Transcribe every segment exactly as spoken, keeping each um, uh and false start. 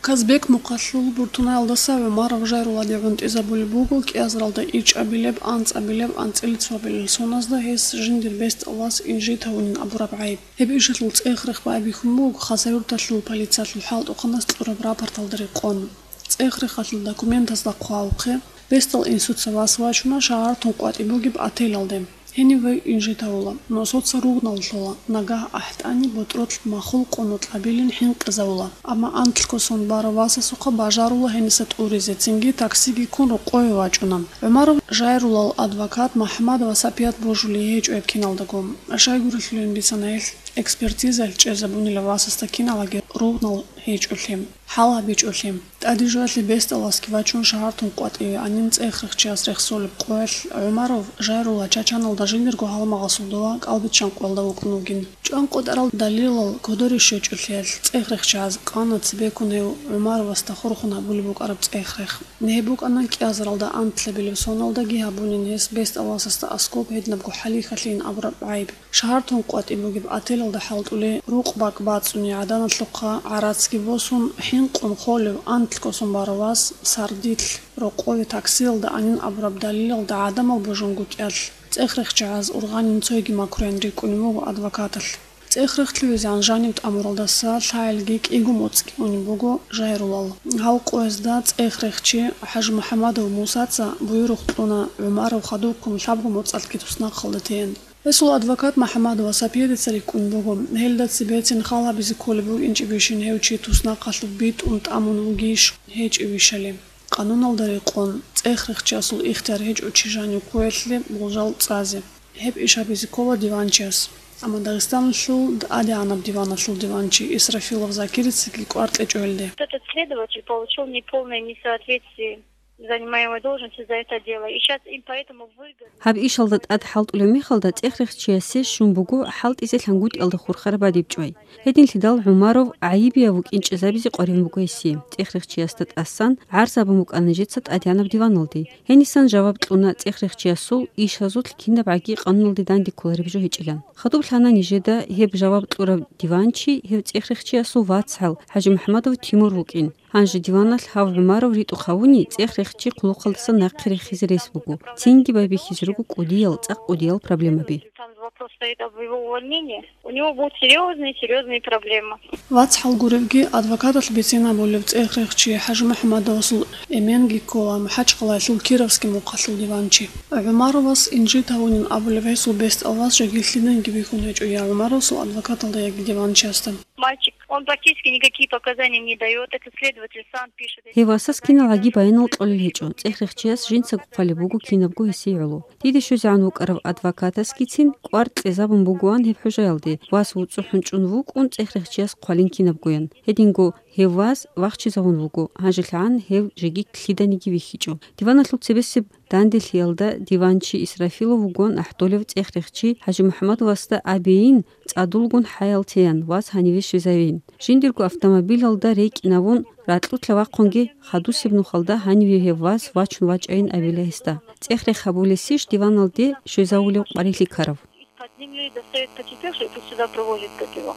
Казбек мухъалъул Буртунаялдаса ГӀумаров Жайрулладе гӀунтӀизабулеб буго кӀиазаралда ичӀабилеб, анцӀабилеб, анцӀила цоабилеб соназда гьес жиндир бестӀал вас инжит гьавунин абураб гӀайиб. Гьеб ишалъул цӀех-рех байбихьун буго Хасавюрталъул полициялъул хӀалтӀухъанас кьураб рапорталда рекъон. ЦӀех-рехалъул документазда хъвалухъе, бестӀал инсуца вас вачуна шагьартун къватӀиб бугеб отелалде. Гьенив вай инжит гьавула, носоца ругънал лъола, нагагь ахӀтӀани ботӀролъ махул къоно кьабилин хӀинкъизавула. Амма антлъго сон барав васасухъа бажарула гьениса тӀуризе, цинги таксиги ккун рокъове вачӀуна. ГӀумаров Жайруллал адвокат МухӀаммадова Сапият божулей гьечӀо гьеб киналдаго. Щайгурелъулин бицана гьелъ, экспертизаялъ чӀезабунила васасда киналаги ругънал гьечӀолъи, хӀал гьабичӀолъи. ТӀаде жоялъе бестӀал васги вачун шагьартун къватӀиве анин цӀех-рехчияс рехсолеб къоялъ ГӀумаров Жайрулла Чачаналда жиндирго гьалмагъасул дова кӀалбиччан къоялда вукӀун вугин. ЧӀван къотӀарал далилал кодоре щвечӀолъиялъ цӀех-рехчияз къана цебеккун гьев ГӀумаровасда хурхун гьабулеб букӀараб цӀех-рех. Гьеб букӀана кӀиазаралда антлъабилеб соналдаги гьабунин гьес бестӀал васасда аскоб гьединабго хӀалихьалъийин абураб гӀайиб. Шагьартун къватӀиб бугеб отелалда хӀалтӀулей рукъ бакӀ бацӀцӀуни гӀаданалъухъа гӀарацги босун, хӀинкъун холев антлъго сон барав вас сардилъ рокъове таксиялда анин абураб далилалда гӀадамал божунгутӀиялъ цӀех-рехчагӀаз ургъанин цойги макруян рикӀкӀунеб буго адвокаталъ. ЦӀех-рех лъугӀизегӀан жанив тӀамуралдаса лъагӀелги кӀиго моцӀги унеб буго Жайруллал. Гьал къоязда цӀех-рехчи ХӀажимухӀамадов Мусаца буюрухъ кьуна ГӀумаров хадубккун лъабго моцӀалъги туснахъалда теян. Гьесул адвокат МухӀаммадова Сапиятица рикӀкӀун буго, гьелда цебецин хал гьабизе кколеб букӀинчӀебищин гьев чи туснахъалъув битӀун тӀамун вугищ, гьечӀевищали. Къануналда рекъон, цӀех-рехчиясул ихтияр гьечӀо чи жанив ккоялъе болжал цӀазе. Гьеб иш гьабизе ккола диванчияс. Амма Дагъистаналъул ТӀадегӀанаб диваналъул диванчи Исрафилов Закирицаги кӀвар кьечӀо гьелде. Этот следователь получил неполное несоответствие занимаемой должности за это дело. И сейчас им поэтому выгодно. Гьаб ишалда тӀад хӀалтӀулев мехалда цӀех-рехчиясе щун буго хӀалтӀизе лъангутӀиялда хурхараб бадиб чӀвай. Гьединлъидал ГӀумаров гӀайибияв вукӀин чӀезабизе къваригӀун буго гьесие. ЦӀех-рехчиясда тӀасан гӀарзабун букӀана нижеца ТӀадегӀанаб диваналде. Гьенисан жаваб кьуна цӀех-рехчиясул ишазулъ кинабгӀаги къануналде данде кколареб жо гьечӀилан. Хадуб лъана нижеда гьеб жаваб кьурав диванчи гьев цӀех-рехчиясул вацгӀал ХӀажимухӀамадов Тимур вукӀин. Гьанже диваналъ гьав ГӀумаров ритӀухъ гьавуни цӀех-рехчи хъулухъалдаса нахъе рехизе рес буго. Цинги байбихьизе руго кӀудиял, цӀакъ кӀудиял проблемаби. Там вопрос стоит об его увольнении. У него будут серьёзные, серьёзные проблемы. ВацгӀал гуревги, адвокаталъ бицинабулев цӀех-рехчи ХӀажимухӀамадовасул эменги ккола МахӀачхъалаялъул Кировский мухъалъул диванчи. ГӀумаровас инжит гьавунин абулеб гьесул бестӀал вас жеги лъиданиги бихьун гьечӀо я ГӀумаровасул адвокаталда, яги диванчиясда. Мальчик, он практически никакие показания не даёт, это следователь сам пишет. Гьев васас киналгӀаги баянал кьолел гьечӀо, цӀех-рехчияс жинцаго хъвалеб буго кинабго гьесие гӀоло. Диде щвезегӀан вукӀарав адвокатасгицин кӀвар кьезабун бугоан гьеб хӀужаялде, вас вуцӀцӀухӀун чӀун вукӀун цӀех-рехчияс хъвалин кинабгоян. Гьединго гьев вас вахчизавун вуго, гьанжелъагӀан гьев жеги лъиданиги вихьичӀо. Диваналъул цебесеб данделъиялда диванчи Исрафилов вугоан ахӀдолев цӀех-рехчи ХӀажимухӀамадовасда абейин, цӀадулгун хӀаял теян, вас гьаниве щвезавейин. Жиндирго автомобилалда рекӀинавун, ракьулъа вахъунги хадусеб нухалда гьаниве гьев вас вачун вачӀайин абила гьесда. ЦӀех-рех гьабулесищ диваналде щвезавулев къварилъи ккарав? Из-под земли достают потерпевшего и сюда провозят как его.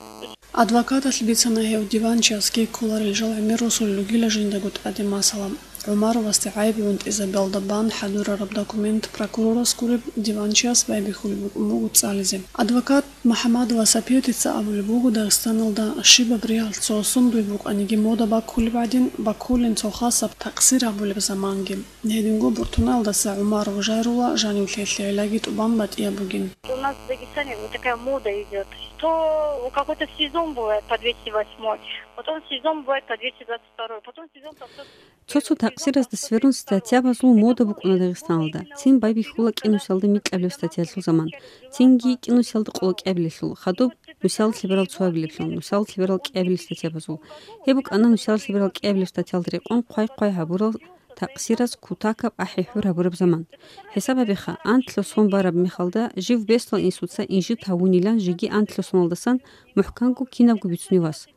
Адвокаталъ бицана гьев диванчиясги кколарел жал гӀемер росулел ругила жиндаго тӀаде масала. ГӀумаровасде гӀайиб гӀунтӀизабиялда бан хӀадурараб документ прокурорас гуреб диванчияс байбихьулеб букӀун буго цӀализе. Адвокат МухӀамадова Сапиятица абулеб буго, Дагъистаналда щибаб ригьалъ цо сундуй букӀаниги мода баккулеб гӀадин, баккулин цо хасаб такъсир гьабулеб заманги. Гьединго Буртунаялдаса ГӀумаров Жайрулла жанивлъиялъе гӀиллаги тӀубан батӀияб бугин. У нас в Дагестане вот такая мода идёт, что какой-то сезон бывает по двести восьмой, потом сезон бывает по двести двадцать второй, потом сезон по сто. Цо-цо такъсиразда сверун статьябазул мода букӀуна Дагъистаналда. Цин байбихьула кӀинусиялда микьабилеб статьялъул заман. Цинги кӀинусиялда къоло кӀиабилелъул, хадуб нусиялда лъеберал цоабилеблъун, нусиялда лъеберал кӀиабилеб статьябазул. Гьеб букӀана нусиялда лъеберал кӀиабилеб статьялда рекъон хъвай-хъвай гьабурал такъсираз кутакаб ахӀи-хӀур гьабураб заман. ХӀисаб гьабеха, анлъго сон бараб мехалда жив бесдал инсуца инжит гьавунилан жеги анлъго соналдасан мухӀканго кинабго бицунев вас.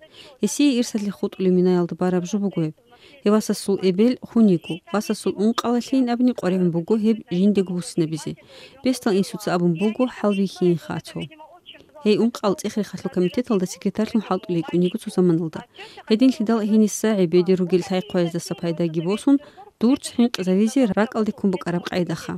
Гьесие ирсалъе хутӀулеб минаялда бараб жо буго гьеб. Гьев васасул эбел хун йиго, васасул ункъалалъейин абуни къваригӀун буго гьеб жиндего буссинабизе. Бесдал инсуца абун буго хӀалбихьиинха цо. Гьей ункъал цӀех-рехалъул комитеталда секретарьлъун хӀалтӀулей кӀун йиго цо заманалда. Гьединлъидал гьениса гӀебеде ругел лъай-хъваздаса пайдаги босун, дур цӀинкъизавизе ракӀалде ккун букӀараб къайдаха.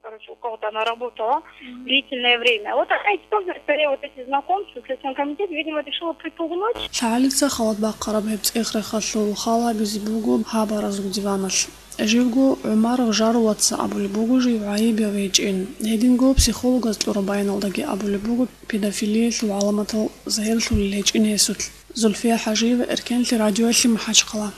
Короче, у кого-то она работала длительное время. Вот она использует скорее вот эти знакомства, Следственный комитет, видимо, решила припугнуть. ЛъагӀалица халат бахъараб гьеб цӀех-рехалъул хал гьабизе буго гьаб аразул диваналъ. Живго ГӀумаров Жарулаца абулеб буго жив гӀайиб гьечӀин. Гьединго психологаз кьураб баяналдаги абулеб буго педофилиялъул гӀаламатал загьирлъулел гьечӀин гьесулъ. Зульфия ХӀажиева, Эркенлъи радиоялъе, МахӀачхъала.